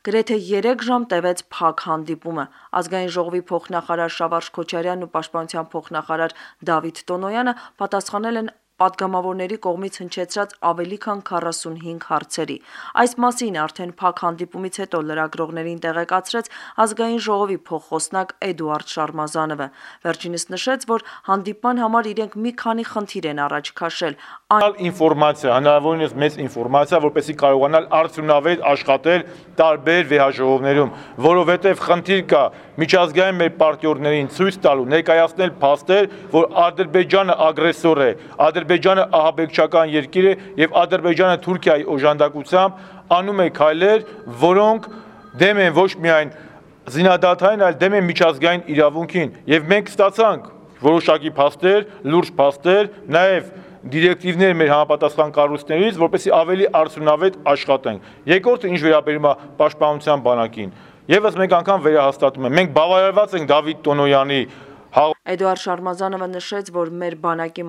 Գրեթե 3 ժամ տևեց փակ հանդիպումը։ Ազգային ժողովի փոխնախարար Շավարժ Քոչարյանն ու Պաշտպանության փոխնախարար Դավիթ Տոնոյանը պատասխանել են պատգամավորների կողմից հնչեցրած ավելի քան 45 հարցերի։ Այս մասին արդեն փակ հանդիպումից հետո լրագրողներին տեղեկացրեց Ազգային ժողովի փոխխոսնակ Էդուարդ Շարմազանովը։ Վերջինս նշեց, որ հանդիպման համար իրենք մի քանի խնդիր են առաջ քաշել։ Ինֆորմացիա, հնարավորինս մեծ ինֆորմացիա, որպեսզի կարողանալ արդյունավետ աշխատել տարբեր վեհաժողովներում, որովհետև խնդիր կա միջազգային մեր պարտնյորներին ցույց տալու, ներկայացնել փաստեր, որ Ադրբեջանը ագրեսոր է, Ադրբեջանը ահաբեկչական երկիր է եւ Ադրբեջանը Թուրքիայի օժանդակությամբ անում է քայլեր, որոնք դեմ են ոչ միայն զինադադարին, այլ դեմ են միջազգային իրավունքին, եւ մենք ստացանք որոշակի փաստեր, լուրջ փաստեր, նաեւ դիրեկտիվներ մեր համապատասխան կառույցներից, որպեսզի ավելի արդյունավետ աշխատենք։ Երկրորդը ինչ վերաբերում է պաշտպանության բանակին, եւս մեկ անգամ վերահաստատում եմ, մենք բավարարված ենք Դավիթ Տոնոյանի Էդուարդ Շարմազանովը նշեց, որ մեր բանակի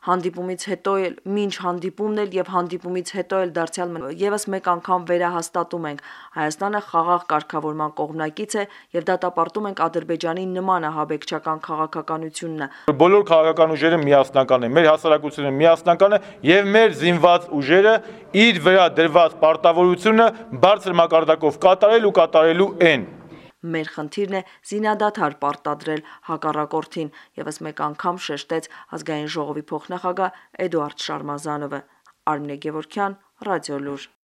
հանդիպումից հետո էլ մինչ հանդիպումն էլ եւ հանդիպումից հետո էլ դարձյալ եւս մեկ անգամ վերահաստատում ենք Հայաստանը խաղաղ կարգավորման կողմնակից է եւ դատապարտում ենք Ադրբեջանի նման ահաբեկչական քաղաքականությունն։ Բոլոր քաղաքական ուժերը միասնական են, մեր հասարակությունը միասնական է եւ մեր զինված ուժերը իր վրա դրված պարտավորությունը բարձր մակարդակով կատարել ու կատարելու են։ Մեր խնդիրն է զինադադար պարտադրել հակառակորդին, եւս մեկ անգամ շեշտեց Ազգային ժողովի փոխնախագահ Էդուարդ Շարմազանովը։ Արմինե Գևորգյան, Ռադիոլուր։